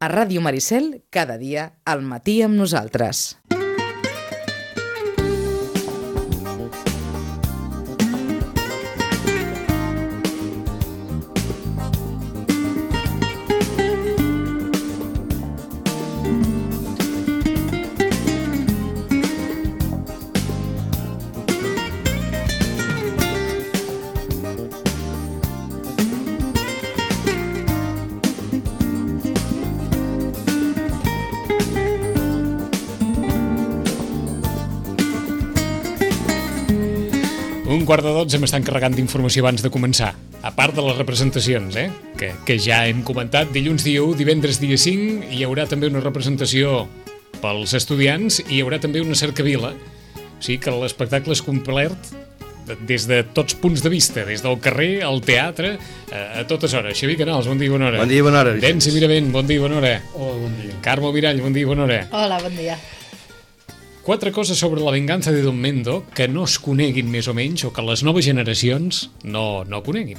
A Ràdio Maricel, cada dia, al matí amb nosaltres. Un quart de 12 m'estan carregant d'informació abans de començar. A part de les representacions, que ja hem comentat, dilluns dia 1, divendres dia 5, hi haurà també una representació pels estudiants i hi haurà també una cercavila. O sigui que l'espectacle és complet des de tots punts de vista, des del carrer, al teatre, a totes hores. Xavier Canals, bon dia i bona hora. Bon dia i bona hora. Densi Miravent, bon dia i bona hora. Hola, bon dia. Carme Mirall, bon dia i bona hora. Hola, bon dia. 4 coses sobre la venganza de Don Mendo que no es coneguin més o menys o que les noves generacions no coneguin.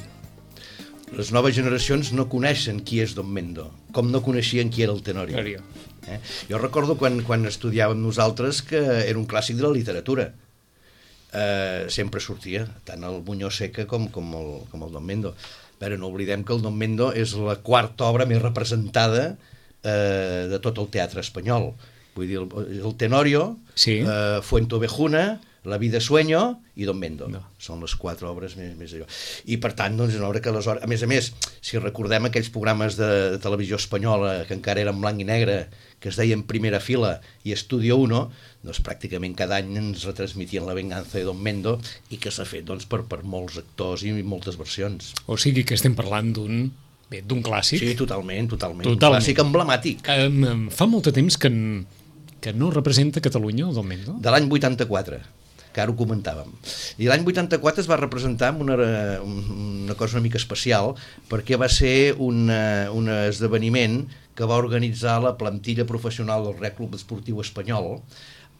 Les noves generacions no coneixen qui és Don Mendo, com no coneixien qui era el Tenorio. Jo recordo quan estudiàvem nosaltres que era un clàssic de la literatura. Sempre sortia, tant el Muñoz Seca com el Don Mendo. Però no oblidem que el Don Mendo és la quarta obra més representada de tot el teatre espanyol. Vull dir, el Tenorio, sí. Fuenteovejuna, La vida sueño i Don Mendo. No. Són les 4 obres més allò. I per tant, doncs, és una obra que aleshores... A més, si recordem aquells programes de televisió espanyola que encara eren blanc i negre, que es deien Primera Fila i Estudio 1, doncs pràcticament cada any ens retransmitien La venganza de Don Mendo i que s'ha fet doncs, per molts actors i moltes versions. O sigui que estem parlant d'un clàssic. Sí, totalment. Un clàssic emblemàtic. Fa molt de temps que no representa Catalunya, el Don Mendo? De l'any 84, que ara ho comentàvem. I l'any 84 es va representar amb una cosa una mica especial, perquè va ser un esdeveniment que va organitzar la plantilla professional del Real Club Esportiu Espanyol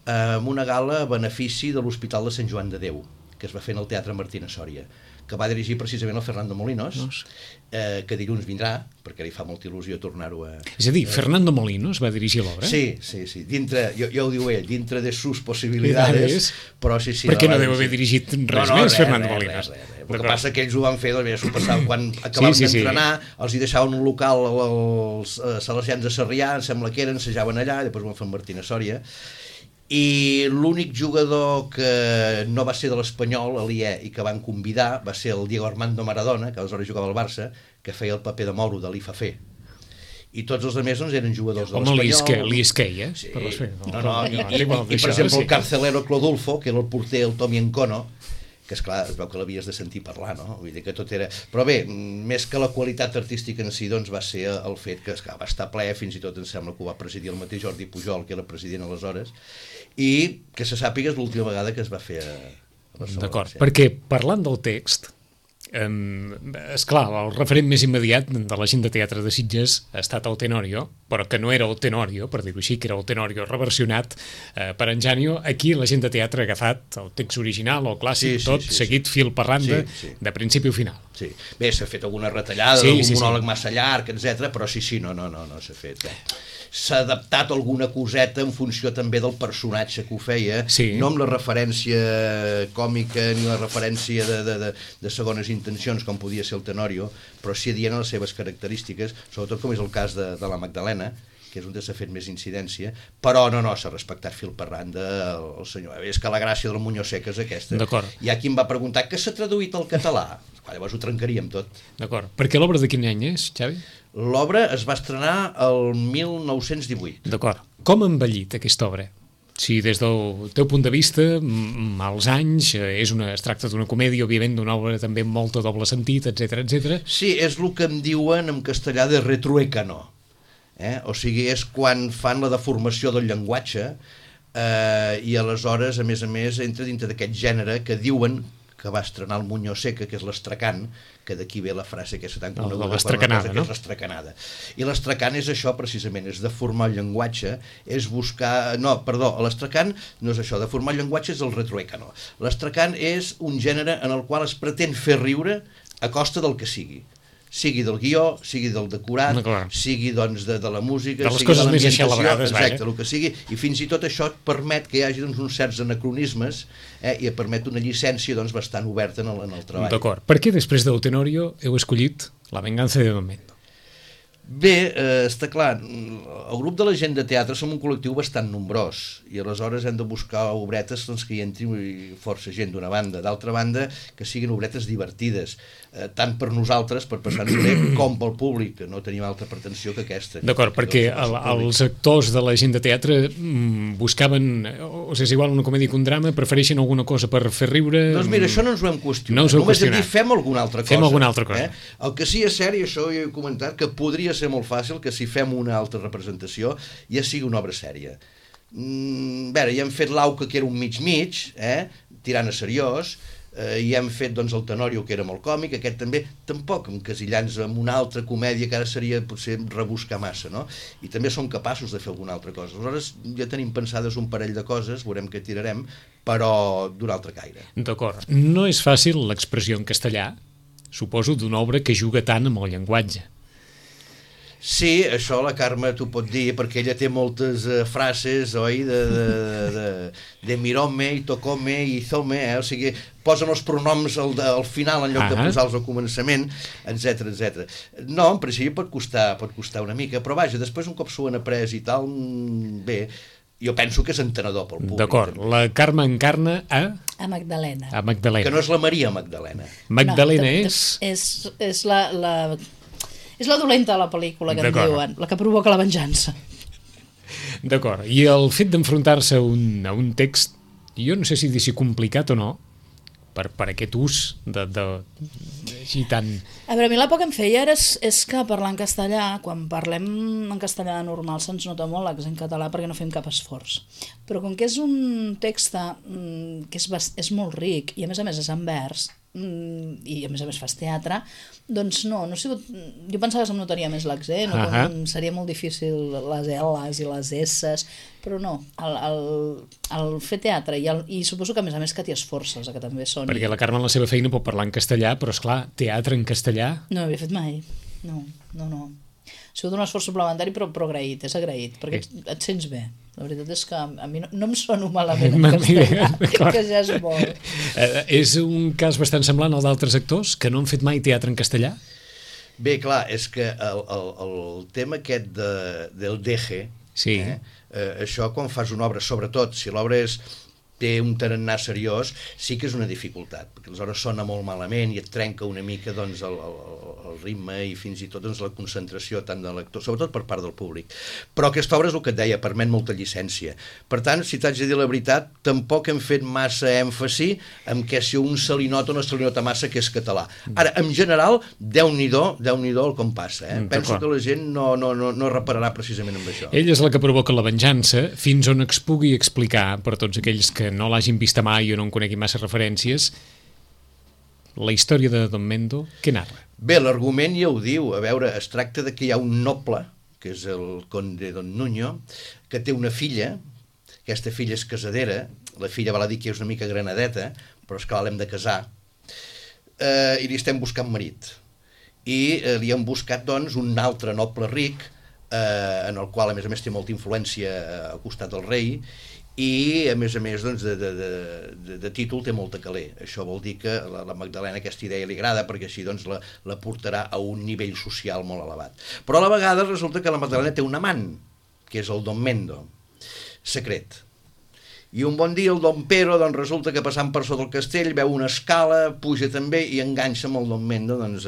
amb una gala a benefici de l'Hospital de Sant Joan de Déu, que es va fer en el Teatre Martínez Sòria, que va dirigir precisament el Fernando Molinos, que dilluns vindrà, perquè li fa molta il·lusió tornar-ho a... És a dir, Fernando Molinos va dirigir l'obra? Sí. Dintre, ja ho diu ell, dintre de sus possibilitats, però sí... Perquè no deu haver dirigit res més, Fernando Molinos. El que passa que ells ho van fer, doncs s'ho passaven, quan acabaven d'entrenar, els hi deixaven un local als salesians de Sarrià, em sembla que eren, ensajaven allà, i després ho van fer amb Martínez Sòria, i l'únic jugador que no va ser de l'Espanyol, aliè, i que van convidar, va ser el Diego Armando Maradona, que aleshores jugava al Barça, que feia el paper de Mauro, de l'Ifafé. I tots els altres doncs, eren jugadors de l'Espanyol. Home, l'Isquei, Sí. I per exemple el carcelero Clodulfo, que era el porter, el Tommy Encono, que esclar, es veu que l'havies de sentir parlar, no? Vull dir que tot era... Però bé, més que la qualitat artística en si, doncs va ser el fet que va estar ple, fins i tot em sembla que ho va presidir el mateix Jordi Pujol, que era president aleshores, i que se sàpiga és l'última vegada que es va fer a Barcelona. D'acord, perquè parlant del text, esclar, el referent més immediat de la gent de teatre de Sitges ha estat el Tenorio, però que no era el Tenorio, per dir-ho així, que era el Tenorio reversionat per en Janio. Aquí la gent de teatre ha agafat el text original, el clàssic, seguit fil per randa, de principi a final. Sí. Bé, s'ha fet alguna retallada, algun monòleg massa llarg, etc. Però no s'ha fet. S'ha adaptat alguna coseta en funció també del personatge que ho feia, no amb la referència còmica ni la referència de segones intencions, com podia ser el Tenorio, però sí dient les seves característiques, sobretot com és el cas de la Magdalena, que és on s'ha fet més incidència, però no s'ha respectat fil per randa el senyor. És que la gràcia del Muñoz Seca és aquesta. Hi ha qui em va preguntar què s'ha traduït al català. Llavors ho trencaríem tot. D'acord. Perquè l'obra de quin any és, Xavi? L'obra es va estrenar el 1918. D'acord. Com ha envellit aquesta obra? Si des del teu punt de vista, mals anys, es tracta d'una comèdia, òbviament d'una obra també amb molt doble sentit, etc. Sí, és el que em diuen en castellà de retruécano. O sigui, és quan fan la deformació del llenguatge i aleshores, a més, entra dintre d'aquest gènere que diuen que va estrenar el Muñoz Seca, que és l'estracan, que d'aquí ve la frase aquesta tan coneguda, l'estracanada, no? Que és l'estracanada. I l'estracan és això, precisament, és deformar el llenguatge, és buscar... No, perdó, l'estracan no és això, deformar el llenguatge és el retruécano. L'estracan és un gènere en el qual es pretén fer riure a costa del que sigui. sigui del guió, sigui del decorat, sigui doncs de la música, de les coses més així elaborades, exacte, el que sigui, i fins i tot això et permet que hi hagi doncs, uns certs anacronismes i et permet una llicència doncs, bastant oberta en el treball. D'acord. Per què després del Tenorio heu escollit La venganza de Don Mendo? Bé, està clar, el grup de la gent de teatre som un col·lectiu bastant nombrós i aleshores hem de buscar obretes doncs, que hi entri força gent d'una banda, d'altra banda que siguin obretes divertides, tant per nosaltres, per passar-nos bé, com pel públic, que no tenim altra pretensió que aquesta. D'acord, perquè els actors de la gent de teatre buscaven, o sigui, és igual una comèdia que un drama, prefereixen alguna cosa per fer riure... Doncs mira, això no ens ho hem qüestionat, no només hem dit fem alguna altra cosa. Fem alguna altra cosa. El que sí és cert, i això ja he comentat, que podria ser molt fàcil que si fem una altra representació ja sigui una obra sèria. A veure, ja hem fet l'Auca, que era un mig-mig, tirant a seriós, i hem fet doncs, el Tenorio, que era molt còmic, aquest també, tampoc encasillant-nos amb una altra comèdia que ara seria potser rebuscar massa, no? I també som capaços de fer alguna altra cosa. Aleshores ja tenim pensades un parell de coses, veurem què tirarem, però d'un altre caire. D'acord. No és fàcil l'expressió en castellà, suposo, d'una obra que juga tant amb el llenguatge. Sí, això la Carme t'ho pot dir, perquè ella té moltes frases, oi, de mirome, i tocome, i hizome, o sigui, posen els pronoms al final en lloc de posar-los al començament, etc. No, en principi pot costar una mica, però vaja, després un cop s'ho han après i tal, bé, jo penso que és entenedor pel públic. D'acord, la Carme encarna a... A Magdalena. A Magdalena. Que no és la Maria Magdalena. Magdalena no, és la... És la dolenta de la pel·lícula, que en diuen, la que provoca la venjança. D'acord, i el fet d'enfrontar-se a un text, jo no sé si dir-si complicat o no, per aquest ús així tan... A veure, a mi la por que em feia és que parlar en castellà, quan parlem en castellà normal se'ns nota molt l'accent català perquè no fem cap esforç. Però com que és un text que és molt ric i a més és en vers, i a més fas teatre, doncs no ha sigut... Jo pensava que se'm notaria més l'accent, seria molt difícil les L's i les S's, però no, el fer teatre i suposo que a més que t'hi esforces, que també són... Perquè la Carme en la seva feina pot parlar en castellà, però esclar, teatre en castellà... No ho havia fet mai, no. Ha sigut un esforç suplementari, però agraït, és agraït, perquè et sents bé. La veritat és que a mi no em sono malament en castellà, que ja és molt. És un cas bastant semblant al d'altres actors que no han fet mai teatre en castellà? Bé, clar, és que el tema aquest del deje, això quan fas una obra, sobretot si l'obra té un tarannà seriós, sí que és una dificultat, perquè aleshores sona molt malament i et trenca una mica doncs, el ritme i fins i tot doncs, la concentració tant de l'actor, sobretot per part del públic. Però aquesta obra és el que et deia, permet molta llicència. Per tant, si t'haig de dir la veritat, tampoc hem fet massa èmfasi en què si un se li nota o no se li nota massa que és català. Ara, en general, Déu-n'hi-do el com passa. Penso que la gent no repararà precisament amb això. Ella és la que provoca la venjança, fins on es pugui explicar per tots aquells que no l'hagin vista mai o no en conegui massa referències. La història de Don Mendo, què narra? Bé, l'argument ja ho diu. A veure, es tracta de que hi ha un noble, que és el conde Don Nuño, que té una filla, aquesta filla és casadera, la filla val a dir que és una mica granadeta, però és que l'hem de casar, i li estem buscant marit. I li han buscat, doncs, un altre noble ric, en el qual, a més, té molta influència al costat del rei, i a més doncs, de títol té molta caler. Això vol dir que a la Magdalena aquesta idea li agrada perquè així doncs, la portarà a un nivell social molt elevat. Però a la vegada resulta que la Magdalena té un amant, que és el Don Mendo, secret. I un bon dia el Don Pero doncs, resulta que passant per sota el castell veu una escala, puja també i enganxa amb el Don Mendo. Doncs,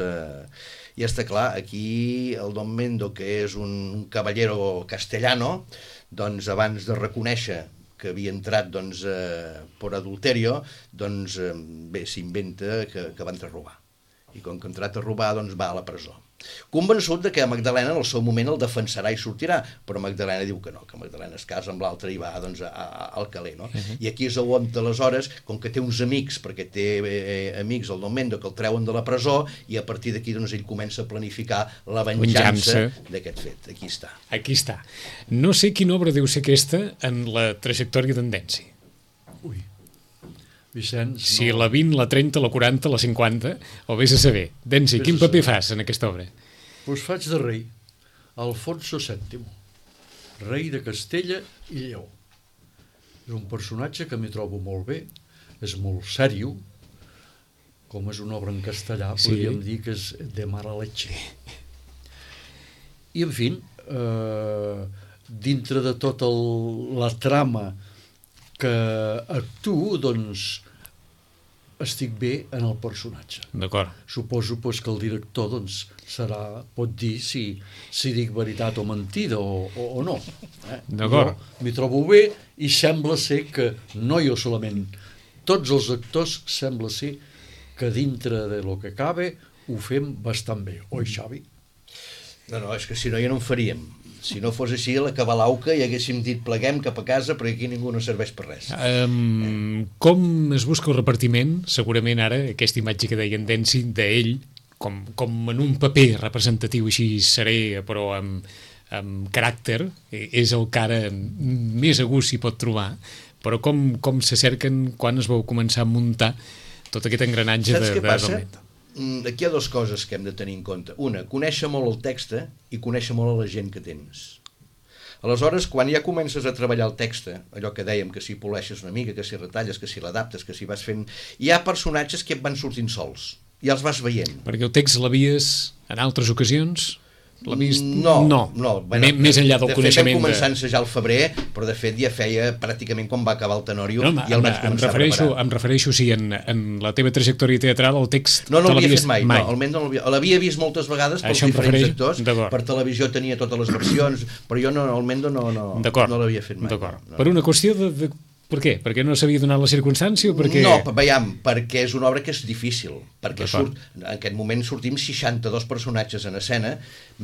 i està clar, aquí el Don Mendo, que és un caballero castellano, doncs abans de reconèixer que havia entrat doncs, per adulterio, doncs bé, s'inventa que va entrar a robar. I com que ha entrat a robar, doncs va a la presó. Convençut de que Magdalena en el seu moment el defensarà i sortirà, però Magdalena diu que no, que Magdalena es casa amb l'altre i va doncs, al caler. No? I aquí és on aleshores, com que té uns amics, perquè té amics, el Don Mendo, que el treuen de la presó, i a partir d'aquí doncs, ell comença a planificar la venjança d'aquest fet. Aquí està. Aquí està. No sé quina obra deu ser aquesta en la trajectòria d'en Densi. Ui. Vicenç, Si la 20, la 30, la 40, la 50, o vés a saber. Densi, quin paper fas en aquesta obra? Doncs faig de rei, Alfonso VII, rei de Castella i Lleó. És un personatge que m'hi trobo molt bé, és molt sèrio, com és una obra en castellà, podríem dir que és de mala leche. I, en fi, dintre de tota la trama que actuo, doncs, estic bé en el personatge. D'acord. Suposo que el director doncs, pot dir si dic veritat o mentida o no. D'acord. Jo m'hi trobo bé i sembla ser que, no jo solament, tots els actors sembla ser que dintre de lo que cabe ho fem bastant bé. Oi, Xavi? No, és que si no ja no en faríem. Si no fos així, a la cabalauca i haguéssim dit pleguem cap a casa perquè aquí ningú no serveix per res. Com es busca el repartiment? Segurament ara, aquesta imatge que deia en Densi d'ell, com en un paper representatiu així seré, però amb caràcter, és el que ara més a gust s'hi pot trobar, però com se cerquen quan es vau començar a muntar tot aquest engranatge de... Saps què passa? Aquí hi ha dues coses que hem de tenir en compte. Una, conèixer molt el text i conèixer molt a la gent que tens. Aleshores, quan ja comences a treballar el text, allò que dèiem, que si poleixes una mica, que si retalles, que si l'adaptes, que si vas fent... Hi ha personatges que et van sortint sols, i els vas veient. Perquè el text l'havies, en altres ocasions... No. Bueno, més enllà del coneixement. De fet, vam començar a ensejar al febrer, però de fet ja feia pràcticament quan va acabar el Tenorio, ja el vaig començar a preparar. Em refereixo si en la teva trajectòria teatral el text... No l'havia fet mai. No, almenys no l'havia vist moltes vegades pels diferents actors, per televisió tenia totes les versions, però jo almenys no l'havia fet mai. D'acord. Per una qüestió de... Per què? Perquè no s'havia donat la circumstància o perquè... No, veiem, perquè és una obra que és difícil, perquè en aquest moment sortim 62 personatges en escena,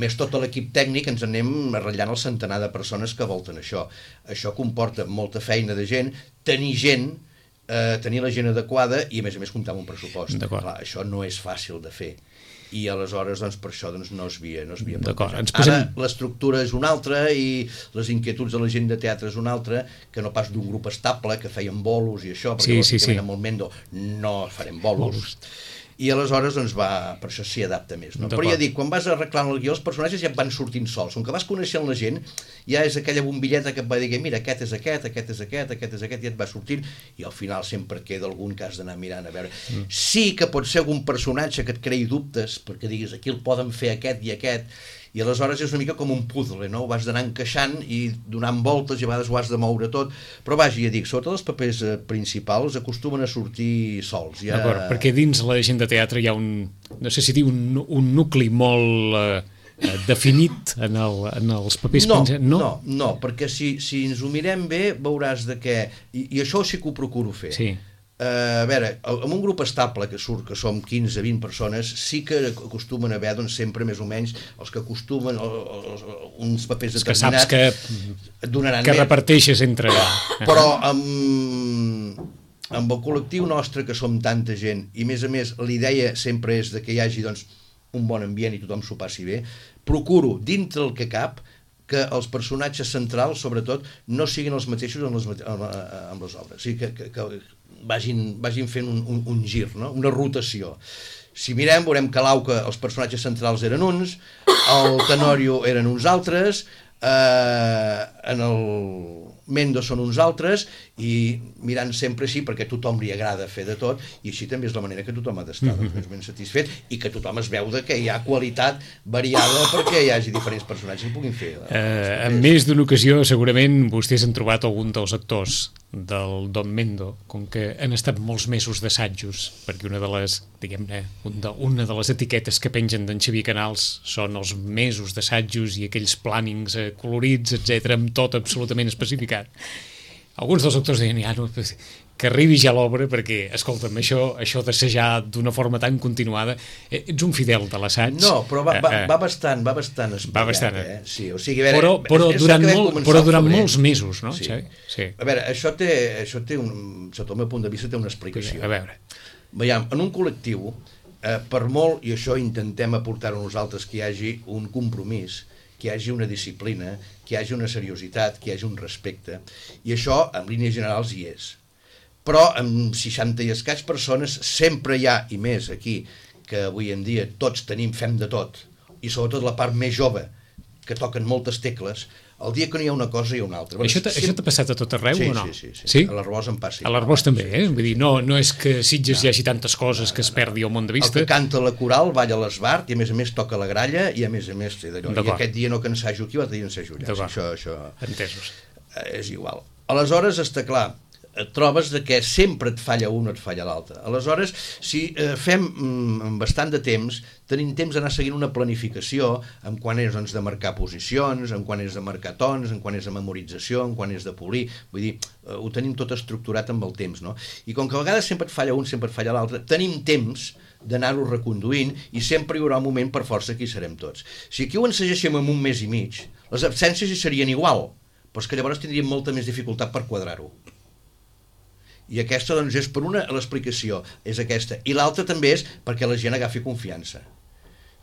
més tot l'equip tècnic, ens anem ratllant el centenar de persones que volten això. Això comporta molta feina de gent, tenir la gent adequada i a més comptar amb un pressupost. Clar, això no és fàcil de fer. I aleshores per això no es havia plantejat. Ara l'estructura és una altra i les inquietuds de la gent de teatre és una altra, que no pas d'un grup estable que feien bolos i això, perquè lògicament amb el Mendo no farem bolos. I aleshores per això s'hi adapta més, no? Però ja dic, quan vas arreglant el guió els personatges ja et van sortint sols, com que vas coneixent la gent ja és aquella bombilleta que et va dir mira, aquest és aquest, aquest és aquest, aquest és aquest, i et va sortint, i al final sempre queda algun que has d'anar mirant a veure. Sí que pot ser algun personatge que et creï dubtes, perquè diguis aquí el poden fer aquest i aquest, i aleshores és una mica com un puzzle, no? Ho has d'anar encaixant i donant voltes i a vegades ho has de moure tot, però vaja, ja dic, sobretot els papers principals acostumen a sortir sols. D'acord, perquè dins la gent de teatre hi ha no sé si dir un nucli molt definit en els papers principals. No, perquè si ens ho mirem bé veuràs que, i això sí que ho procuro fer. Sí. A veure, en un grup estable que surt, que som 15-20 persones, sí que acostumen a haver sempre més o menys els que acostumen uns papers determinats que saps que reparteixes entre... Però amb el col·lectiu nostre, que som tanta gent, i a més la idea sempre és que hi hagi un bon ambient i tothom s'ho passi bé, procuro, dintre el que cap, que els personatges centrals, sobretot, no siguin els mateixos amb les obres. O sigui, que vagin fent un gir, no? Una rotació. Si mirem, veurem que l'Auca, els personatges centrals eren uns, el Tenorio eren uns altres, en el Mendo són uns altres, i mirant sempre així, perquè a tothom li agrada fer de tot, i així també és la manera que tothom ha d'estar més ben satisfet, i que tothom es veu que hi ha qualitat variada perquè hi hagi diferents personatges que puguin fer. En més d'una ocasió, segurament, vostès han trobat algun dels actors del Don Mendo, com que han estat molts mesos d'assajos, perquè una de les, diguem-ne, una de les etiquetes que pengen d'en Xavier Canals són els mesos d'assajos i aquells plànings colorits, etc, amb tot absolutament especificat. Alguns dels actors deien, que arribi ja l'obra, perquè, escolta'm, això d'assajar d'una forma tan continuada, ets un fidel de l'assaig. No, però va bastant espatllat, Sí, o sigui, a veure... Però durant molts mesos, no? Sí. A veure, això té sota el meu punt de vista, té una explicació. A veure. Veiem, en un col·lectiu, per molt, i això intentem aportar-ho nosaltres, que hi hagi un compromís, que hi hagi una disciplina, que hi hagi una seriositat, que hi hagi un respecte, i això, en línies generals, hi és. però amb 60 i escaig persones sempre hi ha, i més aquí, que avui en dia tots fem de tot, i sobretot la part més jove, que toquen moltes tecles, el dia que no hi ha una cosa hi ha una altra. Això t'ha passat a tot arreu o no? Sí. A l'Arbós em passa. A l'Arbós també, Vull dir, no és que a Sitges hi hagi tantes coses que es perdi el món de vista. El que canta la coral balla a l'esbart i a més toca la gralla i a més d'allò. I aquest dia no que ensajo aquí, l'altre dia ensajo allà. Això entesos. És igual. Aleshores, està clar, et trobes que sempre et falla un o et falla l'altre. Aleshores, si fem bastant de temps, tenim temps d'anar seguint una planificació en quan és de marcar posicions, en quan és de marcar tons, en quan és de memorització, en quan és de polir. Vull dir, ho tenim tot estructurat amb el temps, no? I com que a vegades sempre et falla un, sempre et falla l'altre, tenim temps d'anar-ho reconduint i sempre hi haurà un moment per força que hi serem tots. Si aquí ho ensagéssim en un mes i mig, les absències hi serien igual, però és que llavors tindríem molta més dificultat per quadrar-ho. I aquesta, doncs, és per una, l'explicació és aquesta. I l'altra també és perquè la gent agafi confiança.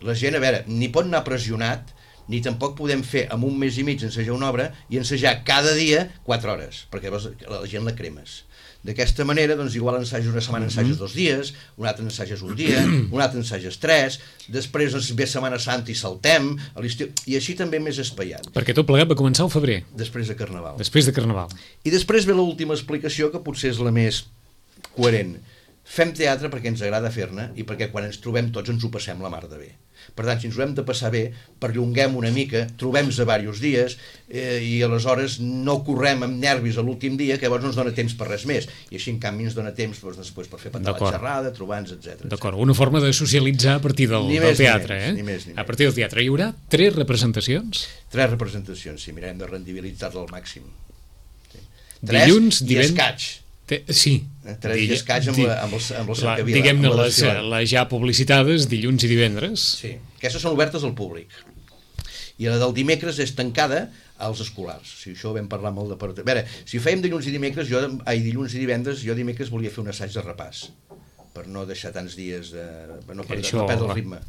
La gent, a veure, ni pot anar pressionat, ni tampoc podem fer en un mes i mig ensejar una obra i ensejar cada dia 4 hores, perquè llavors la gent la cremes. D'aquesta manera, doncs, igual ensages una setmana, ensages 2 dies, un altre ensages un dia, un altre ensages 3, després doncs, ve Setmana Santa i saltem, a l'estiu, i així també més espaiat. Perquè tot plegat va començar al febrer. Després de Carnaval. Després de Carnaval. I després ve l'última explicació, que potser és la més coherent. Fem teatre perquè ens agrada fer-ne i perquè quan ens trobem tots ens ho passem la mar de bé. Per tant, si ens ho hem de passar bé, perllonguem una mica, trobem-nos a diversos dies i aleshores no correm amb nervis a l'últim dia, que llavors no ens dona temps per res més. I així, en canvi, ens dona temps després per fer patar la xerrada, trobar-nos, etc. D'acord, una forma de socialitzar a partir del teatre. Ni més. A partir del teatre. Hi haurà 3 representacions? 3 representacions, sí, mirem de rendibilitzar-la al màxim. 3 i escaig. Sí. 3 i escaig amb la cercavila. Diguem-ne les ja publicitades dilluns i divendres. Sí, aquestes són obertes al públic. I la del dimecres és tancada als escolars. Si això ho vam parlar amb el departament. A veure, si fèiem dilluns i dimecres, dilluns i divendres, jo dimecres volia fer un assaig de repàs, per no deixar tants dies, per no perdre el ritme.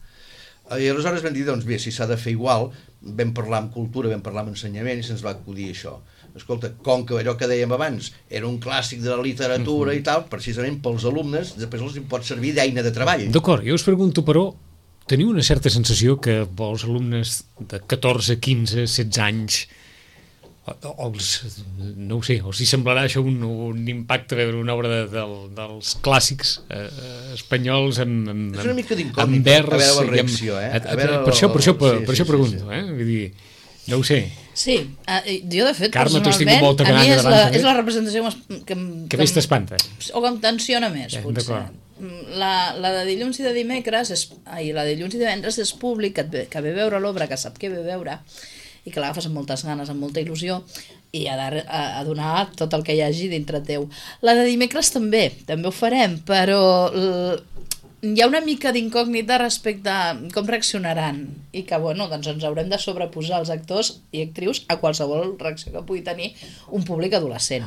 I aleshores vam dir, doncs bé, si s'ha de fer igual, vam parlar amb cultura, vam parlar amb ensenyament i se'ns va acudir això. Escolta, com que allò que dèiem abans era un clàssic de la literatura i tal, precisament pels alumnes, després els pot servir d'eina de treball. D'acord, jo us pregunto, però, teniu una certa sensació que els alumnes de 14, 15, 16 anys, no ho sé, els hi semblarà això un impacte veure una obra dels clàssics espanyols amb és una mica d'incògnita, a veure la reacció, per això pregunto, vull dir, no ho sé. Sí, jo de fet, Carme, personalment, a mi és la representació que més t'espanta. O que em tensiona més, potser. La de dilluns i de dimecres, la de dilluns i divendres és públic, que ve a veure l'obra, que sap què ve a veure, i que l'agafes amb moltes ganes, amb molta il·lusió, i ha de donar tot el que hi hagi dintre teu. La de dimecres també ho farem, però hi ha una mica d'incògnita respecte a com reaccionaran i que, bueno, doncs ens haurem de sobreposar els actors i actrius a qualsevol reacció que pugui tenir un públic adolescent,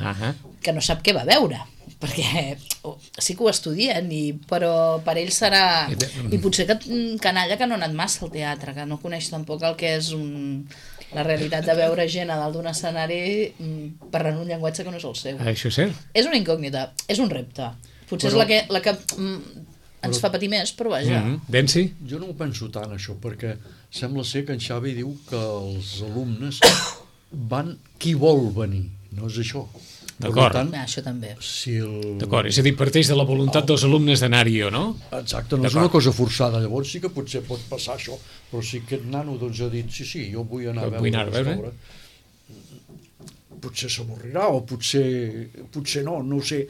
que no sap què va veure, perquè sí que ho estudien, però per ells serà... I potser canalla que no ha anat massa al teatre, que no coneix tampoc el que és la realitat de veure gent a dalt d'un escenari parlant un llenguatge que no és el seu. Això és cert. És una incògnita, és un repte. Potser és la que ens fa patir més, però vaja. Densi? Jo no ho penso tant, això, perquè sembla ser que en Xavi diu que els alumnes van qui vol venir, no és això. D'acord. Això també. D'acord, és a dir, parteix de la voluntat dels alumnes d'anar-hi o no? Exacte, no és una cosa forçada, llavors sí que potser pot passar això, però si aquest nano doncs ha dit, sí, jo vull anar a veure aquesta obra, potser s'avorrirà o potser no ho sé.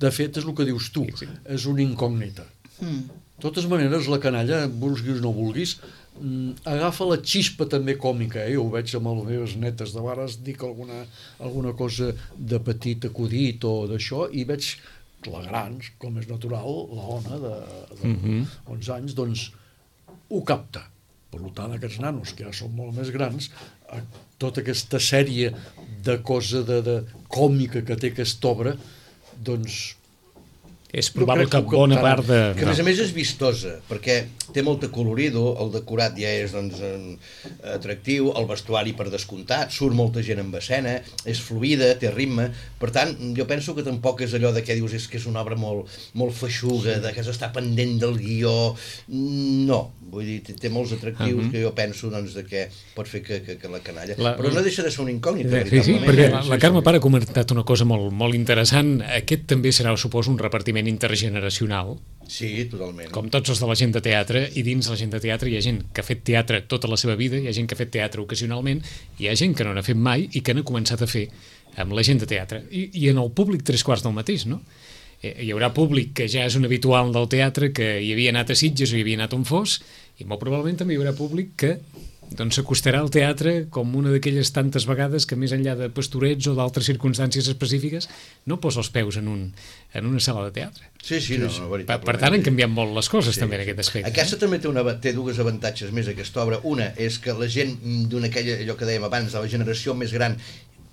De fet, és el que dius tu, és una incògnita. De totes maneres, la canalla, vulguis o no vulguis, agafa la xispa també còmica, jo ho veig amb les meves netes de vares, dic alguna cosa de petit acudit o d'això, i veig la gran, com és natural, la Ona de 11 anys, doncs ho capta. Per tant, aquests nanos, que ja són molt més grans, tota aquesta sèrie de cosa de còmica que té aquesta obra, doncs És probable que bona part de... Que a més és vistosa, perquè té molta colorido, el decorat ja és doncs, atractiu, el vestuari per descomptat, surt molta gent en escena, és fluida, té ritme, per tant, jo penso que tampoc és allò de què dius que és una obra molt feixuga, de que s'està pendent del guió, no, vull dir, té molts atractius que jo penso doncs, de que pot fer que la canalla, però no deixa de ser un incògnit. Sí, perquè la Carme Pare ha comentat una cosa molt interessant, aquest també serà, suposo, un repartiment intergeneracional. Sí, totalment. Com tots els de la gent de teatre, i dins la gent de teatre hi ha gent que ha fet teatre tota la seva vida, hi ha gent que ha fet teatre ocasionalment, hi ha gent que no n'ha fet mai i que n'ha començat a fer amb la gent de teatre. I en el públic 3/4 del mateix, no? Hi haurà públic que ja és un habitual del teatre, que hi havia anat a Sitges o hi havia anat on fos, i molt probablement també hi haurà públic que doncs s'acostarà al teatre com una d'aquelles tantes vegades que més enllà de pastorets o d'altres circumstàncies específiques no posa els peus en una sala de teatre. Sí, no, veritablement. Per tant, han canviat molt les coses també en aquest aspecte. Aquesta també té dues avantatges més, aquesta obra. Una és que la gent allò que dèiem abans, de la generació més gran,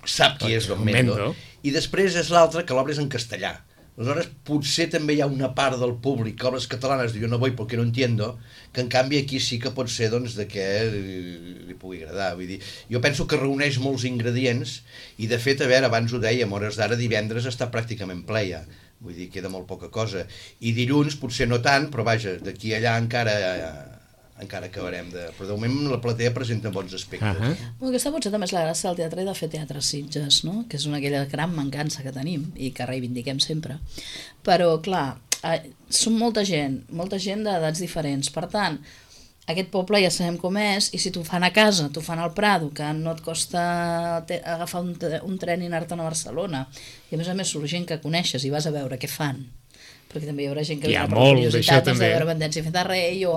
sap qui és Don Mendo, i després és l'altra, que l'obra és en castellà. Aleshores, potser també hi ha una part del públic que obres catalanes diu, no voy porque no entiendo, que en canvi aquí sí que pot ser doncs, de què li pugui agradar. Vull dir, jo penso que reuneix molts ingredients i, de fet, a veure, abans ho dèiem, a hores d'ara divendres està pràcticament ple ja. Vull dir, queda molt poca cosa. I dilluns potser no tant, però vaja, d'aquí a allà encara acabarem de... Però de moment la platea presenta bons aspectes. Bueno, aquesta potser també és la gràcia del teatre i de fer teatre a Sitges, no? Que és aquella gran mancança que tenim i que reivindiquem sempre. Però, clar, som molta gent d'edats diferents. Per tant, aquest poble ja sabem com és, i si t'ho fan a casa, t'ho fan al Prado, que no et costa agafar un tren i anar-te'n a Barcelona, i a més surt gent que coneixes i vas a veure què fan, perquè també hi haurà gent que hi ha per curiositat de veure Vendència i Feta Rei o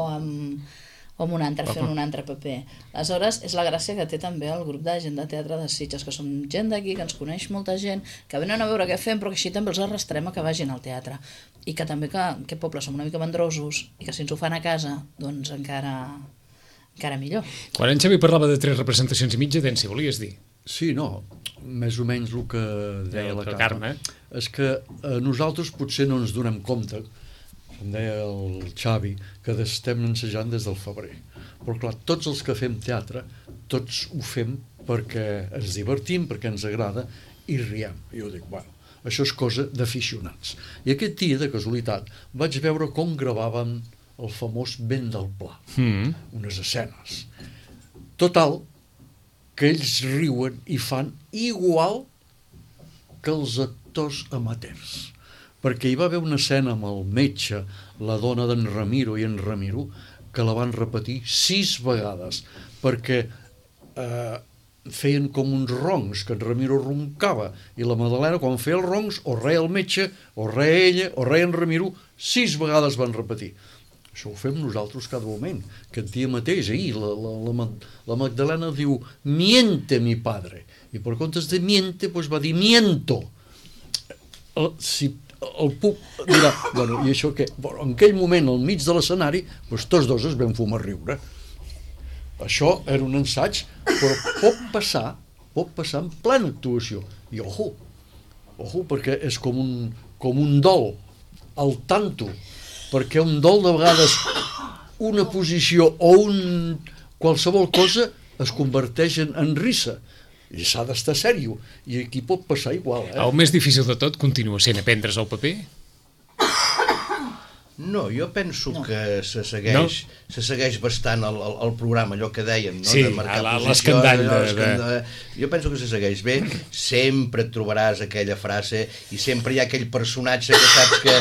amb un altre fent un altre paper. Aleshores, és la gràcia que té també el grup de gent de teatre de Sitges, que som gent d'aquí, que ens coneix molta gent, que venen a veure què fem, però que així també els arrastrem a que vagin al teatre. I que també que aquest poble som una mica mandrosos, i que si ens ho fan a casa, doncs encara millor. Quan en Xavi parlava de 3 representacions i mitja, si volies dir? Sí, no, més o menys el que deia la Carme, és que nosaltres potser no ens donem compte, com deia el Xavi, que estem ensejant des del febrer. Però clar, tots els que fem teatre, tots ho fem perquè ens divertim, perquè ens agrada i riem. I jo dic, bueno, això és cosa d'aficionats. I aquest dia, de casualitat, vaig veure com gravaven el famós Vent del Pla, unes escenes. Total, que ells riuen i fan igual que els actors amateurs. Perquè hi va haver una escena amb el metge, la dona d'en Ramiro i en Ramiro, que la van repetir 6 vegades, perquè feien com uns roncs, que en Ramiro roncava, i la Madalena, quan feia els roncs, o reia el metge, o reia ella, o reia en Ramiro, 6 vegades van repetir. Això ho fem nosaltres cada moment. Aquest dia mateix, ahir, la Magdalena diu, miente mi padre, i per comptes de miente, doncs va dir miento. Si el puc dirà, bueno, i això què? Bueno, en aquell moment, al mig de l'escenari, doncs tots dos es vam fumar a riure. Això era un ensaig, però pot passar en plena actuació. I ojo, perquè és com un dol, al tanto, perquè un dol de vegades una posició o qualsevol cosa es converteix en risa. I s'ha d'estar sèrio, i aquí pot passar igual. El més difícil de tot continua sent aprendre's el paper? No, jo penso que se segueix bastant el programa, allò que dèiem, no? Sí, de marcar l'escandall. Jo penso que se segueix bé, sempre et trobaràs aquella frase i sempre hi ha aquell personatge que saps que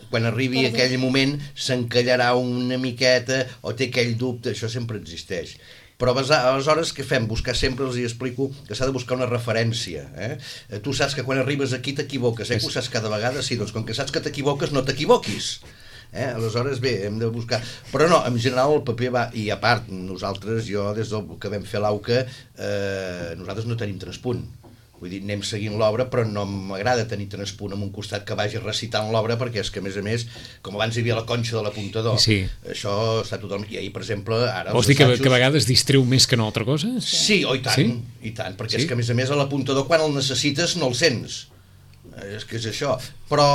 quan arribi aquell moment s'encallarà una miqueta o té aquell dubte, això sempre existeix. Però aleshores què fem? Buscar sempre, els hi explico, que s'ha de buscar una referència. Tu saps que quan arribes aquí t'equivoques, que ho saps cada vegada? Sí, doncs com que saps que t'equivoques, no t'equivoquis. Aleshores, bé, hem de buscar... Però no, en general el paper va... I a part, nosaltres, jo, des del que vam fer l'AUCA, nosaltres no tenim transpunt. Vull dir, anem seguint l'obra, però no m'agrada tenir transpunt en un costat que vagi recitant l'obra, perquè és que, a més, com abans hi havia la conxa de l'apuntador, això està totalment... I ahir, per exemple, ara... Vols dir que a vegades distreu més que no altra cosa? Sí, i tant, perquè és que, a més, a l'apuntador, quan el necessites, no el sents. És que és això, però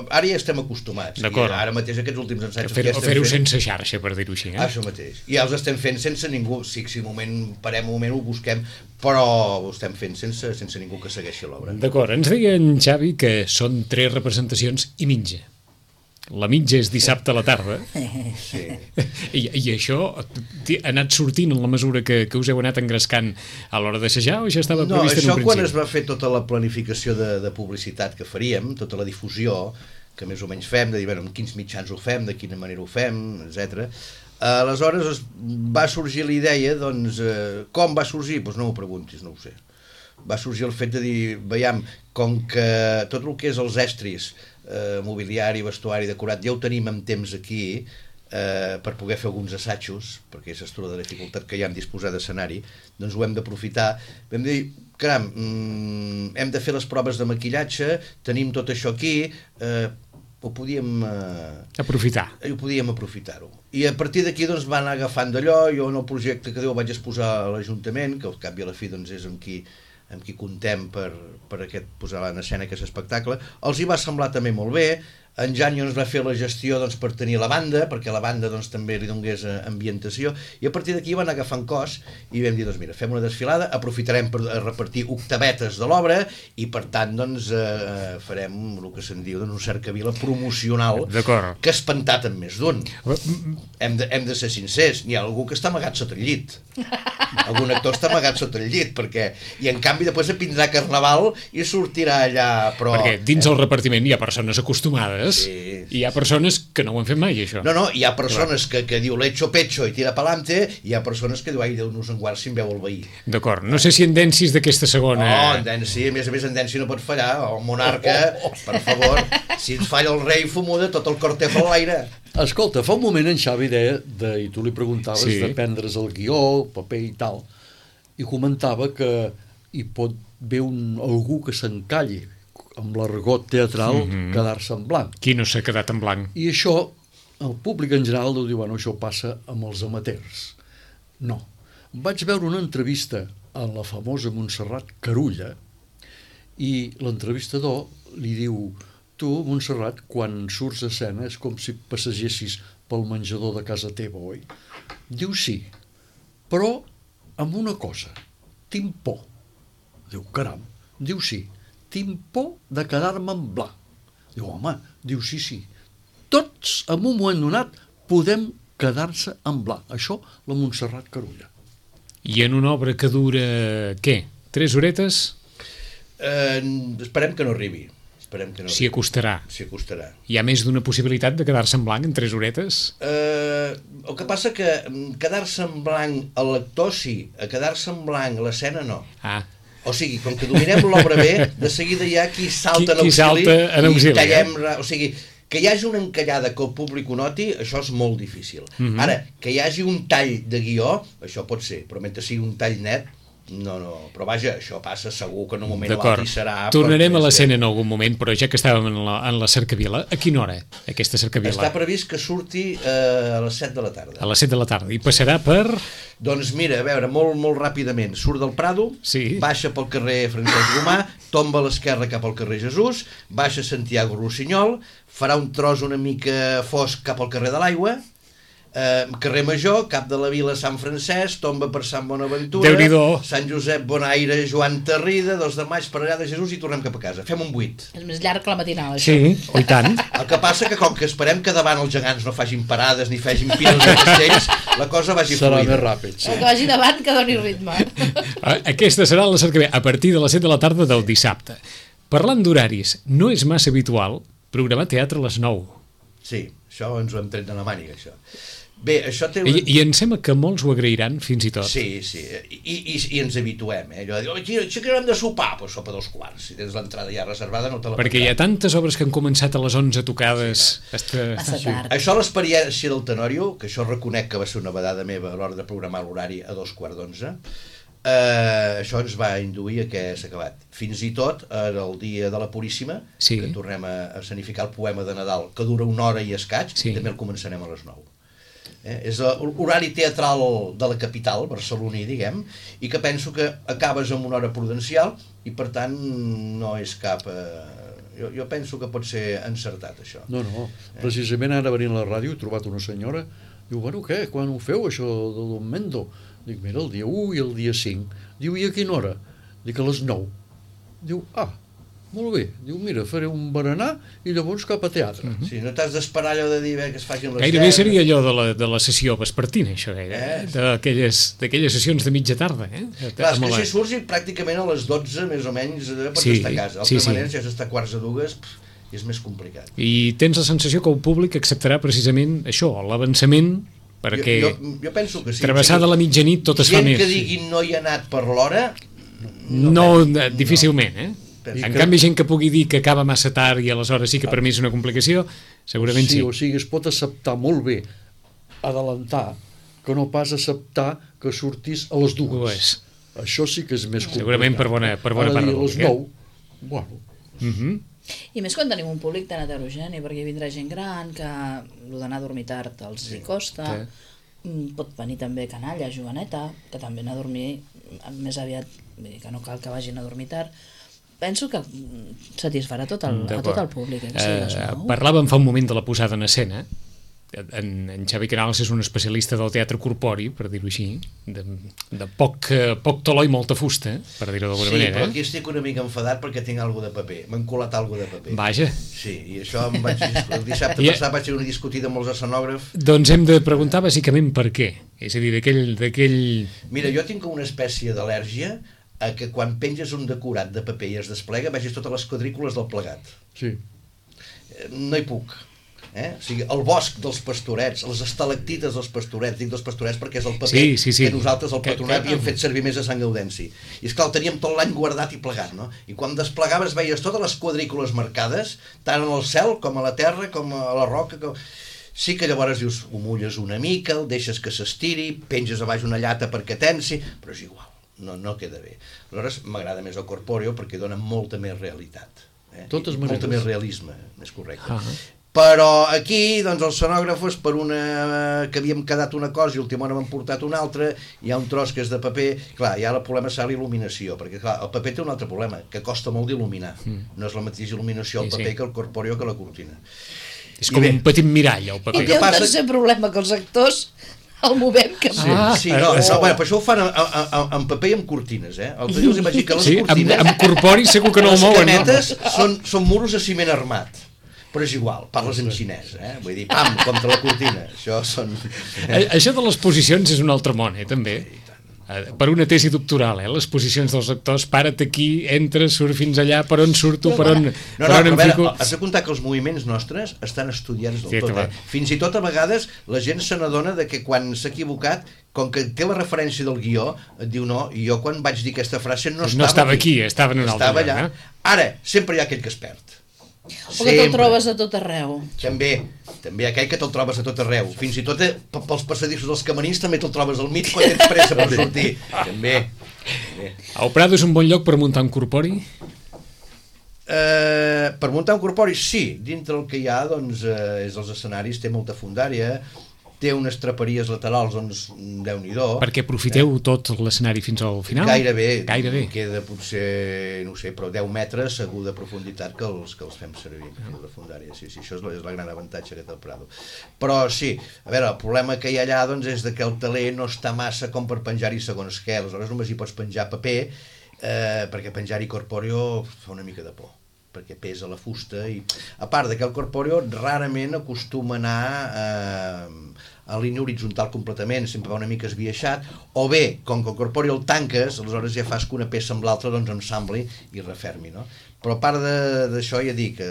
ara ja estem acostumats. D'acord. I ara mateix aquests últims ensaios Fer-ho sense xarxa, per dir-ho així. Això mateix. I ja els estem fent sense ningú. Sí, si un moment parem un moment ho busquem, però ho estem fent sense ningú que segueixi l'obra. D'acord, ens deia en Xavi que són 3 representacions i mitja. La mitja és dissabte a la tarda. Sí. I això ha anat sortint en la mesura que us heu anat engrescant a l'hora d'assajar o ja estava previst en un principi? Quan es va fer tota la planificació de publicitat que faríem, tota la difusió que més o menys fem, de dir, bueno, en quins mitjans ho fem, de quina manera ho fem, etc. Aleshores va sorgir la idea, doncs, com va sorgir? Doncs no m'ho preguntis, no ho sé. Va sorgir el fet de dir, veiem, com que tot el que és els estris, mobiliari, vestuari, decorat, ja ho tenim en temps aquí per poder fer alguns assajos, perquè és tota la dificultat que hi ha en disposar d'escenari, doncs ho hem d'aprofitar. Vam dir, caram, hem de fer les proves de maquillatge, tenim tot això aquí, ho podíem aprofitar-ho. I a partir d'aquí doncs van agafant d'allò. Jo en el projecte que ho vaig exposar a l'Ajuntament, que al cap i a la fi doncs és amb qui contem per posar en escena aquest espectacle. Els hi va semblar també molt bé. En Jan ens va fer la gestió doncs, per tenir la banda, perquè la banda doncs, també li donés ambientació, i a partir d'aquí van agafant cos i vam dir, doncs mira, fem una desfilada, aprofitarem per repartir octavetes de l'obra i per tant doncs, farem el que se'n diu un cercavila promocional que ha espantat en més d'un. Hem de ser sincers, n'hi ha algú que està amagat sota el llit. Algun actor està amagat sota el llit, i en canvi després vindrà Carnaval i sortirà allà. Perquè dins el repartiment hi ha persones acostumades. Sí. I hi ha persones que no ho han fet mai, això. No, hi ha persones que diu lecho pecho i tira pa'lante, i hi ha persones que diu, ai, Déu-nos en guard si em veu el veí. D'acord, no sé si en Densis d'aquesta segona... No, en Densi, a més en Densi no pot fallar, el monarca, per favor, si ens falla el rei Fumuda, tot el cortejo a l'aire. Escolta, fa un moment en Xavi deia, i tu li preguntaves de prendre's el guió, el paper i tal, i comentava que hi pot haver algú que s'encalli amb l'argot teatral, quedar-se en blanc. Qui no s'ha quedat en blanc? I això, el públic en general deu dir, bueno, això passa amb els amateurs. No. Vaig veure una entrevista a la famosa Montserrat Carulla i l'entrevistador li diu, tu, Montserrat, quan surts a escena és com si passegessis pel menjador de casa teva, oi? Diu sí, però amb una cosa, tinc por. Diu, caram, diu sí, tinc por de quedar-me en blanc. Diu, home, diu, sí. Tots, en un moment donat, podem quedar-se en blanc. Això, la Montserrat Carulla. I en una obra que dura, què? 3 horetes? Esperem que no arribi. S'hi acostarà. S'hi acostarà. Hi ha més d'una possibilitat de quedar-se en blanc en 3 horetes? El que passa que quedar-se en blanc a l'actor sí, a quedar-se en blanc a l'escena no. O sigui, com que dominem l'obra bé, de seguida hi ha qui salta en auxili i tallem... O sigui, que hi hagi una encallada que el públic ho noti, això és molt difícil. Ara, que hi hagi un tall de guió, això pot ser, però mentre sigui un tall net, no, però vaja, això passa segur que en un moment o l'altre serà... Tornarem a l'escena en algun moment, però ja que estàvem en la cercavila, a quina hora, aquesta cercavila? Està previst que surti a les 7 de la tarda. A les 7 de la tarda, i passarà per... Doncs mira, a veure, molt ràpidament, surt del Prado, baixa pel carrer Francesc Romà, tomba a l'esquerra cap al carrer Jesús, baixa Santiago Rossinyol, farà un tros una mica fosc cap al carrer de l'Aigua, carrer Major, cap de la Vila Sant Francesc, tomba per Sant Bonaventura, Sant Josep Bonaire, Joan Tarrida, 2 de maig per allà de Jesús i tornem cap a casa. Fem un 8. És més llarg que la matinal, això. Sí, i tant. El que passa que com que esperem que davant els gegants no facin parades ni facin piles de castells, la cosa vagi fluida. Serà més ràpid, sí. Que vagi davant, que doni ritme. Aquesta serà la cercavila a partir de les 7 de la tarda del dissabte. Parlant d'horaris, no és massa habitual programar teatre a les 9. Sí, això ens ho hem tret de la màniga, això. Bé, això té... I em sembla que molts ho agrairan, fins i tot. Sí, i ens habituem, Allò de dir, això que hem de sopar? Doncs sopa 2:15. Si tens l'entrada ja reservada, no te la... Perquè hi ha tantes obres que han començat a les 11 tocades... Això l'experiència del Tenorio, que això reconec que va ser una vedada meva a l'hora de programar l'horari a 2:15, això ens va induir a què s'ha acabat. Fins i tot el dia de la Puríssima, que tornem a escenificar el poema de Nadal, que dura 1 hora i escaig, també el començarem a les 9. És l'horari teatral de la capital barceloní, diguem, i que penso que acabes amb una hora prudencial i per tant no és cap Jo penso que pot ser encertat, això. No, precisament ara venint a la ràdio he trobat una senyora, diu, bueno, què, quan ho feu, això de Don Mendo? Dic, mira, el dia 1 i el dia 5. Diu, i a quina hora? Dic, a les 9. Diu, molt bé. Diu, mira, faré un berenar i llavors cap a teatre. Sí, no t'has d'esperar allò de dir que es facin les 10. Gairebé seria allò de la sessió vespertina, això, d'aquelles sessions de mitja tarda. Clar, és que si surts i pràcticament a les 12, més o menys, pots estar a casa. D'altra manera, si has d'estar quarts a dues, és més complicat. I tens la sensació que el públic acceptarà precisament això, l'avançament, perquè jo penso que sí. Travessada la mitjanit tot es fa més. Gent que digui no hi ha anat per l'hora... No, difícilment, En canvi, gent que pugui dir que acaba massa tard i aleshores sí que per mi és una complicació, segurament sí. O sigui, es pot acceptar molt bé adelantar que no pas acceptar que sortis a les 2. Això sí que és més complicat. Segurament per bona part del públic. A les 9, bueno... I més quan tenim un públic tan heterogeni, perquè vindrà gent gran que d'anar a dormir tard els hi costa, pot venir també canalla, joveneta, que també anar a dormir més aviat, que no cal que vagin a dormir tard. Penso que satisfarà a tot el públic. Parlàvem fa un moment de la posada en escena. En Xavi Canals és un especialista del teatre corpori, per dir-ho així, de poc toló i molta fusta, per dir-ho d'alguna manera. Sí, però aquí estic una mica enfadat perquè tinc alguna de paper. M'han colat alguna de paper. Vaja. Sí, i això el dissabte passat vaig tenir una discutida amb els escenògrafs. Doncs hem de preguntar bàsicament per què. És a dir, d'aquell... Mira, jo tinc una espècie d'al·lèrgia a que quan penges un decorat de paper i es desplega vegis totes les quadrícules del plegat. Sí. No hi puc. O sigui, el bosc dels pastorets, les estalactites dels pastorets, dic dels pastorets perquè és el paper que nosaltres al Patronat havíem fet servir més a Sant Gaudenci. I esclar, el teníem tot l'any guardat i plegat, no? I quan desplegaves veies totes les quadrícules marcades, tant en el cel com a la terra, com a la roca... Sí que llavors dius, ho mulles una mica, el deixes que s'estiri, penges a baix una llata perquè tensi, però és igual, no queda bé. Aleshores m'agrada més el corpòreo perquè dona molta més realitat. Totes maneres. Molta més realisme, més correcte. Però aquí, doncs, els escenògrafos, per una que havíem quedat una cosa i última hora m'han portat una altra, hi ha un tros que és de paper, clar, hi ha el problema serà l'il·luminació, perquè clar, el paper té un altre problema, que costa molt d'il·luminar. No és la mateixa il·luminació al paper que el corpòreo que la cortina. És com un petit mirall, el paper. I té un tercer problema, que els actors el movem que bueno, per això ho fan amb paper i amb cortines, Els dius, imagina que les cortines... Amb corpori segur que no el mouen. Les cametes són muros de ciment armat. Però és igual, parles en xinès, Vull dir, pam, contra la cortina. Això de les posicions és un altre món, també. Per una tesi doctoral, les posicions dels actors, para't aquí, entra, surt fins allà, per on surto, per on em fico... Has de comptar que els moviments nostres estan estudiats del tot. Fins i tot a vegades la gent se n'adona de que quan s'ha equivocat, com que té la referència del guió, et diu no, i jo quan vaig dir aquesta frase no estava aquí, estava en un altre lloc. Ara, sempre hi ha aquell que es perd. O que te'l trobes a tot arreu. També aquell que te'l trobes a tot arreu. Fins i tot pels passadissos dels camerins també te'l trobes al mig quan tens pressa per sortir. També. El Prado és un bon lloc per muntar un corpori? Per muntar un corpori, sí. Dintre el que hi ha, doncs, és els escenaris, té molta fundària, té unes traperies laterals, doncs, Déu-n'hi-do. Perquè aprofiteu tot l'escenari fins al final? Gairebé. Queda potser, no sé, però 10 metres segur de profunditat que els fem servir, la fundària. Sí, això és la gran avantatge que té el Prado. Però sí, a veure, el problema que hi ha allà, doncs, és que el teler no està massa com per penjar-hi segons què. Aleshores només hi pots penjar paper, perquè penjar-hi corpòreo fa una mica de por, perquè pesa la fusta i a part que el corpòreo rarament acostuma a anar en línia horitzontal completament, sempre va una mica esbiaixat, o bé, com que el corpòreo el tanques, aleshores ja fas que una peça amb l'altra doncs ensambli i refermi, no? Però a part d'això ja dic que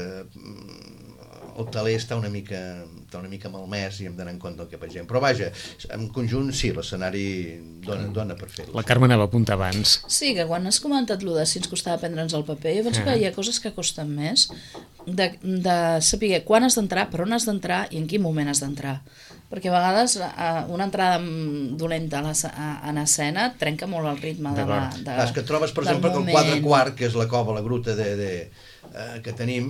el teler està una mica malmès i hem d'anar en compte el que pengem. Però vaja, en conjunt sí, l'escenari dona per fer-ho. La Carme anava a apuntar abans. Sí, que quan has comentat allò de si ens costava prendre'ns el paper, jo penso que hi ha coses que costen més de saber quan has d'entrar, per on has d'entrar i en quin moment has d'entrar. Perquè a vegades una entrada dolenta en escena trenca molt el ritme de és que trobes, per exemple, que el quadre quart, que és la cova, la gruta que tenim,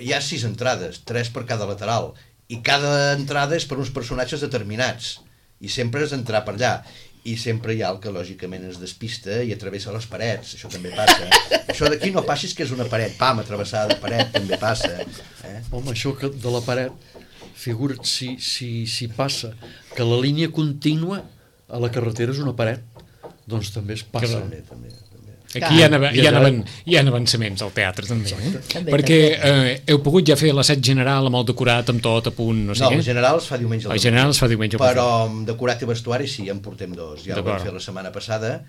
hi ha 6 entrades, 3 per cada lateral, i cada entrada és per uns personatges determinats, i sempre has d'entrar per allà. i sempre hi ha el que lògicament es despista i travessa les parets, això també passa. Això d'aquí no passis que és una paret, pam, atravessada de paret, també passa. Home, això que de la paret, figura't si passa que la línia contínua a la carretera és una paret, doncs també es passa. També. Aquí hi ha avançaments al teatre també, perquè heu pogut ja fer l'assaig general amb el decorat, amb tot a punt, no sé què? No, el general es fa diumenge al matí. Però amb decorat i vestuari sí, en portem dos. Ja ho vam fer la setmana passada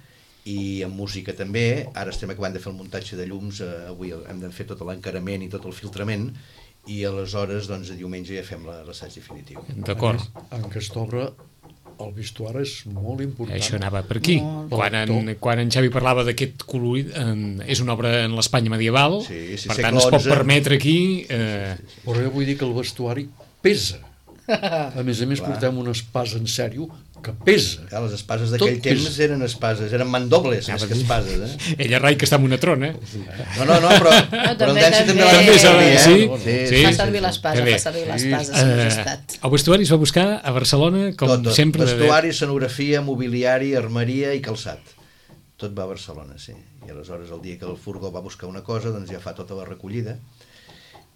i amb música també. Ara estem acabant de fer el muntatge de llums, avui hem de fer tot l'encarament i tot el filtrament i aleshores doncs a diumenge ja fem l'assaig definitiu. D'acord. En aquesta obra el vestuari és molt important. Això anava per aquí. Quan en Xavi parlava d'aquest colorit, és una obra en l'Espanya medieval, per tant es pot permetre aquí... Però jo vull dir que el vestuari pesa. A més, portem una espasa en sèrio que pesa. Les espases d'aquell temps eren espases, eren mandobles més que espases. Ella rai que està en una trona. No, però en Dència també la fa servir l'espasa, El vestuari es va buscar a Barcelona, com sempre. Vestuari, escenografia, mobiliari, armeria i calçat. Tot va a Barcelona, sí. I aleshores el dia que el furgó va buscar una cosa, doncs ja fa tota la recollida.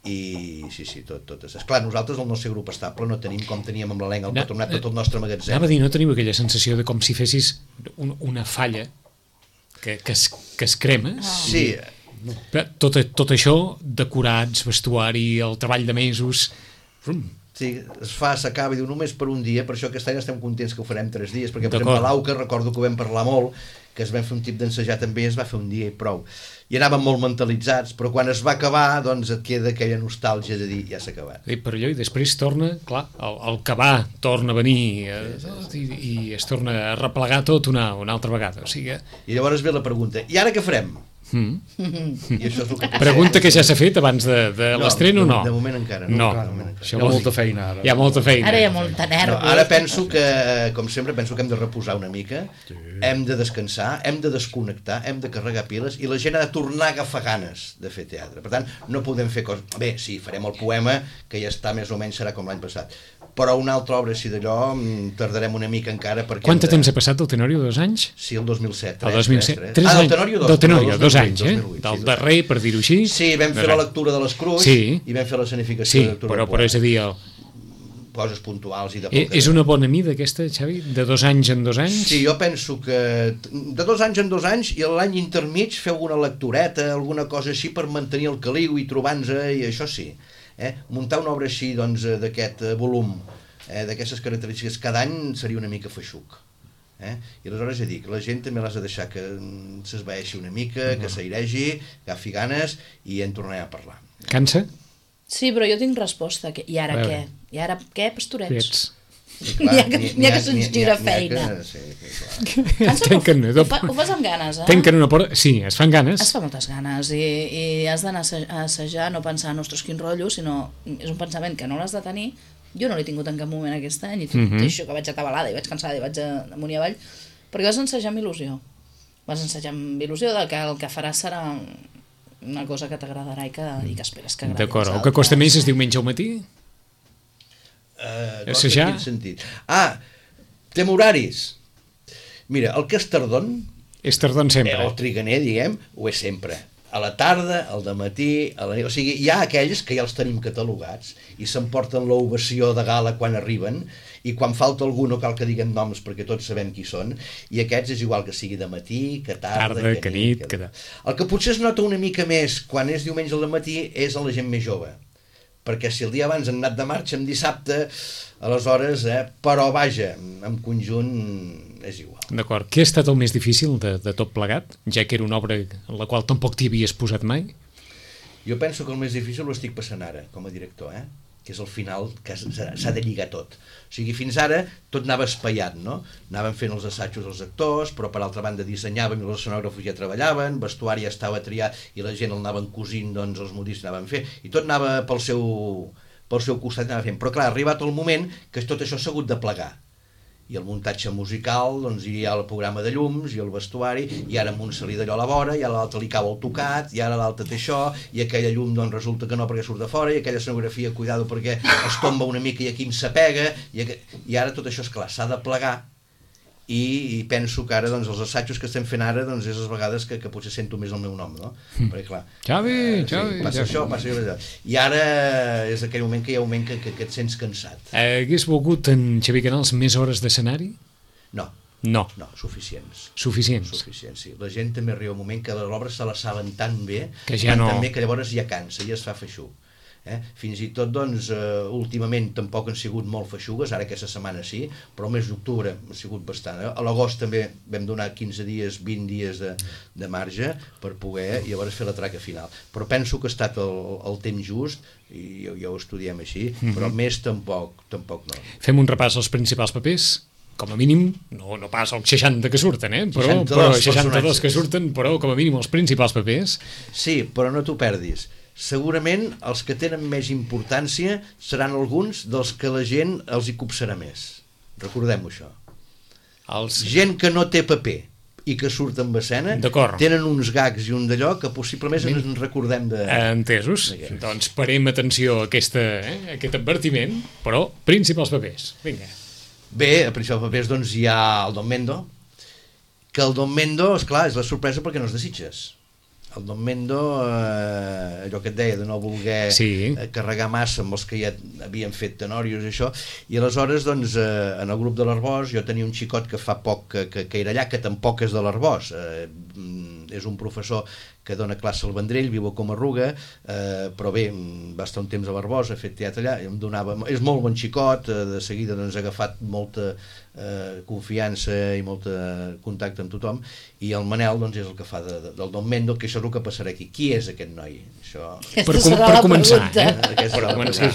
I sí, tot. Esclar, nosaltres el nostre grup estable no tenim com teníem amb l'elenc, el patronat, tot el nostre magatzem. Anava a dir, no teniu aquella sensació de com si fessis una falla que es crema? Sí. Tot això, decorats, vestuari, el treball de mesos... Sí, es fa, s'acaba i diu només per un dia, per això aquest any estem contents que ho farem 3 dies, perquè per exemple a l'Auca recordo que ho vam parlar molt, que es vam fer un tip d'ensejar també, es va fer un dia i prou. I anàvem molt mentalitzats, però quan es va acabar, doncs et queda aquella nostàlgia de dir, ja s'ha acabat. Per allò, i després torna, clar, el que va torna a venir i es torna a replegar tot una altra vegada. O sigui... I llavors ve la pregunta, i ara què farem? I això és el que pregunta que ja s'ha fet abans de l'estrena o no? De moment encara no. Hi ha molta feina ara. Hi ha molta feina. Ara hi ha molta nervi. Ara penso que, com sempre, que hem de reposar una mica, hem de descansar, hem de desconnectar, hem de carregar piles i la gent ha de tornar a agafar ganes de fer teatre. Per tant, no podem fer coses... Bé, sí, farem el poema, que ja està més o menys, serà com l'any passat, però una altra obra així d'allò tardarem una mica encara perquè... Quant temps ha passat del Tenorio? 2 anys? Sí, el 2007. El 2007. 3 anys. Del Tenorio, 2 anys, del darrer, per dir-ho així. Sí, vam fer la lectura de l'Escruix i vam fer l'escenificació de lectura. Sí, però és a dir... Coses puntuals i de... És una bona mida aquesta, Xavi? De 2 anys en 2 anys? Sí, jo penso que de 2 anys en 2 anys i l'any intermig feu una lectureta, alguna cosa així per mantenir el caliu i trobar-nos, i això sí. Muntar una obra així, doncs, d'aquest volum, d'aquestes característiques cada any seria una mica feixuc. I aleshores ja dic, la gent també l'has de deixar que s'esvaeixi una mica, que s'airegi, que agafi ganes i en tornarem a parlar. Cansa? Sí, però jo tinc resposta. I ara què? I ara què, pastorets? N'hi ha que se'ns gira feina. Ho fas amb ganes, Tanquen una porta... Sí, es fan ganes. Es fa moltes ganes i has d'anar a assajar, no pensar, ostres, quin rotllo, sinó és un pensament que no l'has de tenir. Jo no l'he tingut en cap moment aquest any i tot això que vaig atabalada i vaig cansada i vaig amunt i avall, perquè vas ensejar amb il·lusió. Vas ensejar amb il·lusió que el que faràs serà una cosa que t'agradarà i que esperes que agradi. D'acord, el que costa més és diumenge al matí? Assajar? En quin sentit? Tem horaris. Mira, el que és tardon... És tardon sempre. El triganer, diguem, ho és sempre. A la tarda, al dematí, a la nit... O sigui, hi ha aquells que ja els tenim catalogats i s'emporten l'ovació de gala quan arriben i quan falta algú no cal que diguem noms perquè tots sabem qui són i aquests és igual que sigui de matí, que tarda, que nit... El que potser es nota una mica més quan és diumenge al matí és a la gent més jove. Perquè si el dia abans han anat de marxa en dissabte, aleshores, però vaja, en conjunt és igual. D'acord. Què ha estat el més difícil de tot plegat, ja que era una obra en la qual tampoc t'hi havies posat mai? Jo penso que el més difícil ho estic passant ara, com a director, que és el final, que s'ha de lligar tot. O sigui, fins ara tot anava espaiat, no? Anàvem fent els assajos dels actors, però per altra banda dissenyàvem i els escenògrafos ja treballaven, vestuari ja estava triat i la gent el anaven cosint, doncs els modistes anaven fent, i tot anava pel seu costat anava fent. Però clar, ha arribat el moment que tot això s'ha hagut de plegar. I el muntatge musical, doncs hi ha el programa de llums i el vestuari, i ara amb un se li d'allò a la vora, i a l'altre li cau el tocat, i ara l'altre té això, i aquella llum doncs resulta que no perquè surt de fora, i aquella escenografia, cuidado perquè es tomba una mica i aquí em s'apega, i ara tot això, esclar, s'ha de plegar, i penso que ara doncs, els assajos que estem fent ara doncs, és les vegades que potser sento més el meu nom, no? Perquè clar, Xavi, passa això, passa allò. I ara és aquell moment que hi ha un moment que et sents cansat. Hagués volgut en Xavi Canals més hores d'escenari? No, suficients. Suficients, sí. La gent també arriba un moment que les obres se les saben tan bé que ja no... tan bé que llavors ja cansa, ja es fa feixuc. Fins i tot, doncs, últimament tampoc han sigut molt feixugues, ara aquesta setmana sí, però el mes d'octubre ha sigut bastant. A l'agost també vam donar 15 dies, 20 dies de marge per poder llavors fer la traca final. Però penso que ha estat el temps just, i ja ho estudiem així, però més tampoc no. Fem un repàs als principals papers? Com a mínim, no pas els 60 que surten, però 62 que surten, però com a mínim els principals papers. Sí, però no t'ho perdis. Segurament els que tenen més importància seran alguns dels que la gent els hi copsarà més. Recordem-ho, això. Gent que no té paper i que surt en escena tenen uns gags i un d'allò que possiblement ens recordem de... Entesos. Doncs parem atenció a aquest advertiment, però principals papers. Vinga. Bé, a principals papers doncs hi ha el Don Mendo, que el Don Mendo, esclar, és la sorpresa perquè no es desitges. El Don Mendo, allò que et deia de no voler carregar massa amb els que ja havien fet tenòrios i això, i aleshores doncs en el grup de l'Arbós jo tenia un xicot que fa poc que era allà, que tampoc és de l'Arbós, és un professor que dona classe al Vendrell, viu a Comarruga, però bé, va estar un temps a l'Arbós, ha fet teatre allà, és molt bon xicot, de seguida doncs, ha agafat molta confiança i molt contacte amb tothom, i el Manel doncs, és el que fa del Don Mendo, que això és el que passarà aquí. Qui és aquest noi? Per començar, és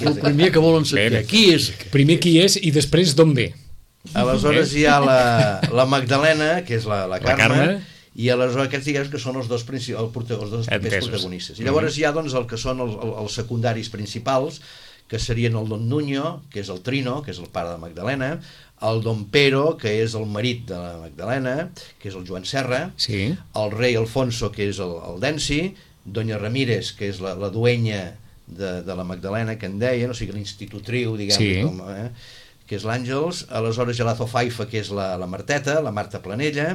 el primer que volen saber. Qui és? Primer qui és i després d'on ve. Aleshores hi ha la Magdalena, que és la Carme, i aleshores aquests diguem que són els dos papers protagonistes. I llavors hi ha doncs, el que són els secundaris principals, que serien el Don Nuño, que és el Trino, que és el pare de Magdalena, el Don Pero, que és el marit de la Magdalena, que és el Joan Serra, el rei Alfonso, que és el Densi, Doña Ramírez, que és la duenya de la Magdalena, que en deien, o sigui, l'institutriu, diguem, que és l'Àngels, aleshores Gelazo Faifa, que és la Marteta, la Marta Planella,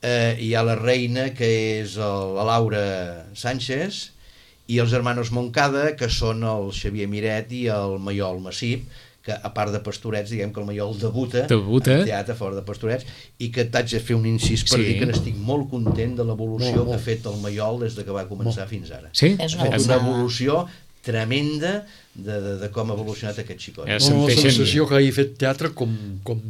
hi ha la reina, que és la Laura Sánchez, i els hermanos Moncada, que són el Xavier Miret i el Maiol Massip, que a part de Pastorets, diguem que el Maiol debuta en teatre fora de Pastorets, i que t'haig de fer un incís per dir que n'estic molt content de l'evolució que ha fet el Maiol des que va començar fins ara. Ha fet una evolució tremenda de com ha evolucionat aquest xicot. La sensació que hagi fet teatre com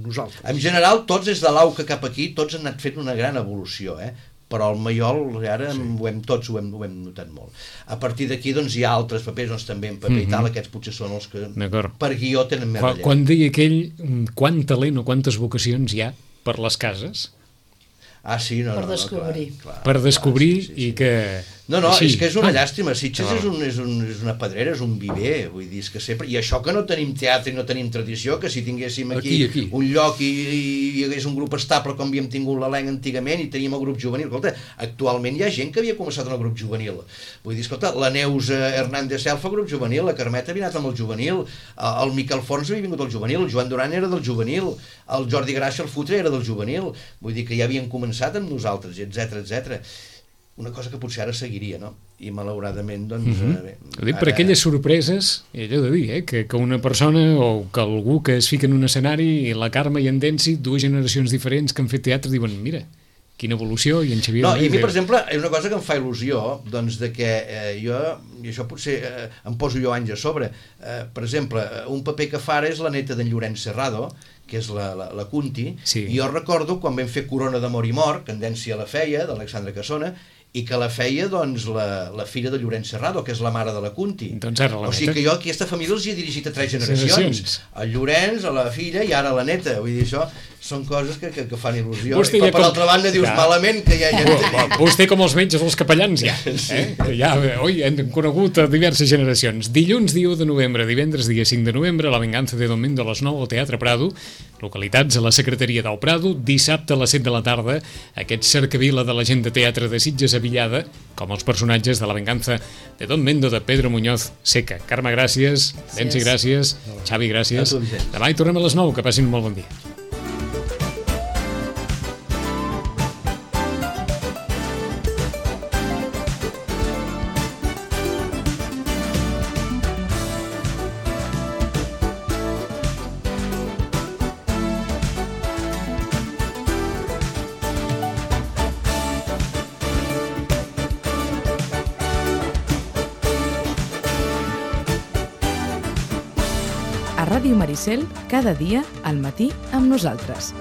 nosaltres. En general, tots des de l'AUCA cap aquí, tots han anat fent una gran evolució, però el Maiol ara tots ho hem notat molt. A partir d'aquí doncs, hi ha altres papers, doncs, també en paper i tal, aquests potser són els que per guió tenen més relleu. Quan deia aquell, quant talent o quantes vocacions hi ha per les cases? Per descobrir. Per descobrir i que... No, és que és una llàstima. Sitges és una pedrera, és un viver, vull dir, és que sempre... I això que no tenim teatre i no tenim tradició, que si tinguéssim aquí un lloc i hi hagués un grup estable com havíem tingut l'Elenc antigament i teníem el grup juvenil. Escolta, actualment hi ha gent que havia començat en el grup juvenil. Vull dir, escolta, la Neus Hernández Selfa, grup juvenil, la Carmeta havia anat amb el juvenil, el Miquel Fons havia vingut al juvenil, el Joan Duran era del juvenil, el Jordi Gràcia, el Futre, era del juvenil. Vull dir que ja havien començat amb nosaltres, etc. Una cosa que potser ara seguiria, no? I malauradament, doncs... Ho dic per aquelles sorpreses, i allò de dir, que una persona o que algú que es fica en un escenari, i la Carme i en Densi, dues generacions diferents que han fet teatre, diuen, mira, quina evolució, i en Xavier... No, i a mi, per exemple, és una cosa que em fa il·lusió, doncs, de que jo, i això potser em poso jo anys a sobre, per exemple, un paper que fa ara és la neta d'en Llorenç Serrado, que és la Cunti, i jo recordo quan vam fer Corona d'Amor i Mort, que en Densi la feia, d'Alexandre Cassona, i que la feia doncs, la filla de Llorenç Serrado, que és la mare de la Cunti. Doncs ara la neta. O sigui que jo aquesta família els he dirigit a 3 generacions. El Llorenç, a la filla i ara la neta. Vull dir, això són coses que fan il·lusió. Però per altra banda dius malament que ja Vostè com els metges, els capellans, ja. Hem conegut a diverses generacions. Dilluns, dia 1 de novembre, divendres, dia 5 de novembre, La venganza de Don Mendo a les 9 al Teatre Prado, localitats a la secretaria del Prado, dissabte a les 7 de la tarda, aquest cercavila de la gent de teatre de Sitges Avillada, com els personatges de La venganza de Don Mendo de Pedro Muñoz Seca. Carme, gràcies. Densi, gràcies. Xavi, gràcies. Demà hi tornem a les 9. Que passin un molt bon dia. Ràdio Maricel, cada dia al matí amb nosaltres.